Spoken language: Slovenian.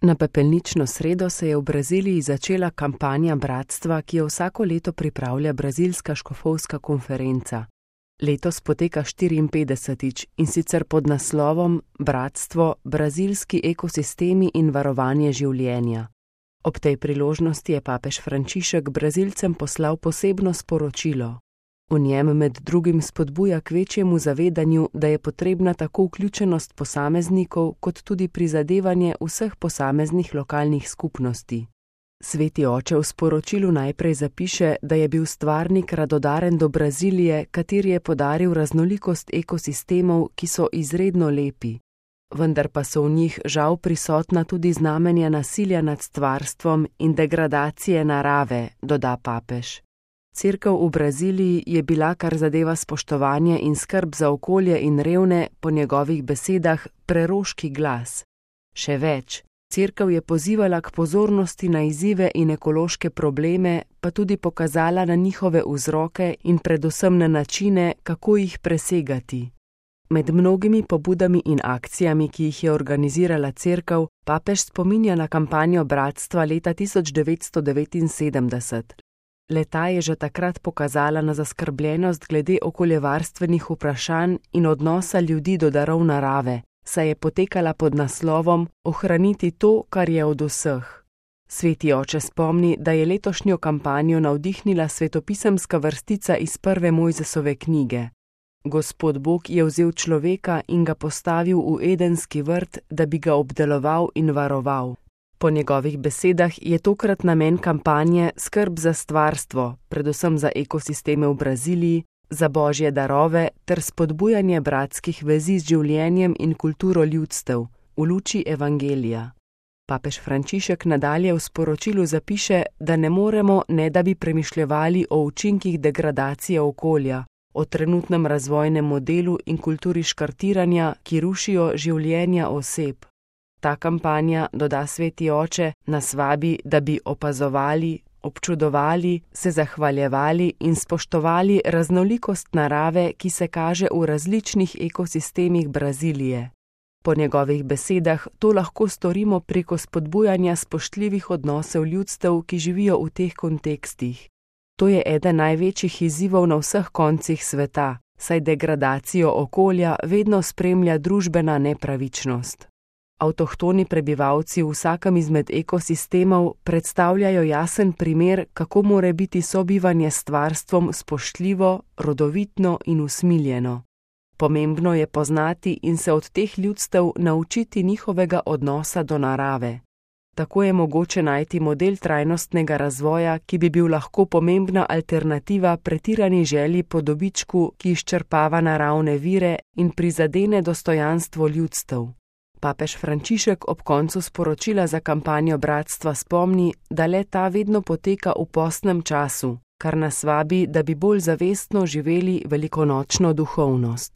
Na pepelnično sredo se je v Braziliji začela kampanja bratstva, ki jo vsako leto pripravlja Brazilska škofovska konferenca. Letos poteka 54. in sicer pod naslovom Bratstvo, brazilski ekosistemi in varovanje življenja. Ob tej priložnosti je papež Frančišek Brazilcem poslal posebno sporočilo. V njem med drugim spodbuja k večjemu zavedanju, da je potrebna tako vključenost posameznikov kot tudi prizadevanje vseh posameznih lokalnih skupnosti. Sveti oče v sporočilu najprej zapiše, da je bil stvarnik radodaren do Brazilije, kateri je podaril raznolikost ekosistemov, ki so izredno lepi. Vendar pa so v njih žal prisotna tudi znamenja nasilja nad stvarstvom in degradacije narave, doda papež. Cerkev v Braziliji je bila, kar zadeva spoštovanje in skrb za okolje in revne, po njegovih besedah, preroški glas. Še več, cerkev je pozivala k pozornosti na izzive in ekološke probleme, pa tudi pokazala na njihove vzroke in predvsem na načine, kako jih presegati. Med mnogimi pobudami in akcijami, ki jih je organizirala cerkev, papež spominja na kampanjo bratstva leta 1979. Le-ta je že takrat pokazala na zaskrbljenost glede okoljevarstvenih vprašanj in odnosa ljudi do darov narave, saj je potekala pod naslovom Ohraniti to, kar je od vseh. Sveti oče spomni, da je letošnjo kampanjo navdihnila svetopisemska vrstica iz prve Mojzesove knjige. Gospod Bog je vzel človeka in ga postavil v edenski vrt, da bi ga obdeloval in varoval. Po njegovih besedah je tokrat namen kampanje skrb za stvarstvo, predvsem za ekosisteme v Braziliji, za božje darove ter spodbujanje bratskih vezi z življenjem in kulturo ljudstev v luči evangelija. Papež Frančišek nadalje v sporočilu zapiše, da ne moremo, ne da bi premišljevali o učinkih degradacije okolja, o trenutnem razvojnem modelu in kulturi škartiranja, ki rušijo življenja oseb. Ta kampanja, doda sveti oče, nas vabi, da bi opazovali, občudovali, se zahvaljevali in spoštovali raznolikost narave, ki se kaže v različnih ekosistemih Brazilije. Po njegovih besedah to lahko storimo preko spodbujanja spoštljivih odnosov ljudstev, ki živijo v teh kontekstih. To je eden največjih izzivov na vseh koncih sveta, saj degradacijo okolja vedno spremlja družbena nepravičnost. Avtohtoni prebivalci v vsakem izmed ekosistemov predstavljajo jasen primer, kako mora biti sobivanje s stvarstvom spoštljivo, rodovitno in usmiljeno. Pomembno je poznati in se od teh ljudstev naučiti njihovega odnosa do narave. Tako je mogoče najti model trajnostnega razvoja, ki bi bil lahko pomembna alternativa pretirani želji po dobičku, ki izčrpava naravne vire in prizadene dostojanstvo ljudstev. Papež Frančišek ob koncu sporočila za kampanjo bratstva spomni, da le-ta vedno poteka v postnem času, kar nas vabi, da bi bolj zavestno živeli velikonočno duhovnost.